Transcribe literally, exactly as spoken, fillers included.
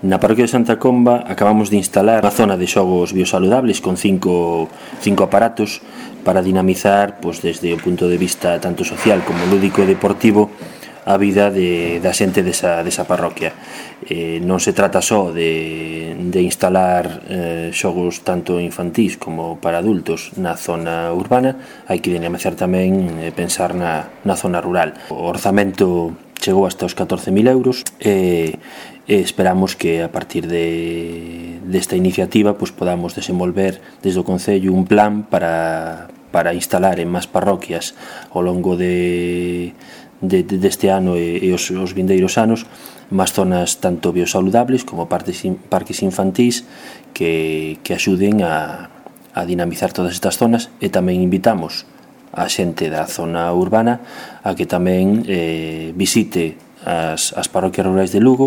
Na parroquia de Santa Comba acabamos de instalar unha zona de xogos biosaludables con cinco, cinco aparatos para dinamizar, pois, desde o punto de vista tanto social como lúdico e deportivo, a vida de, da xente desa, desa parroquia. Eh, non se trata só de, de instalar eh, xogos tanto infantís como para adultos na zona urbana, hai que dinamizar tamén e eh, pensar na, na zona rural. O orzamento chegou hasta os catorce mil euros e, e esperamos que a partir de, desta iniciativa pues, podamos desenvolver desde o Concello un plan para, para instalar en máis parroquias ao longo de, de, de deste ano e, e os, os vindeiros anos máis zonas tanto biosaludables como parques, parques infantís que, que axuden a, a dinamizar todas estas zonas, e tamén invitamos a xente da zona urbana a que tamén eh, visite as, as parroquias rurais de Lugo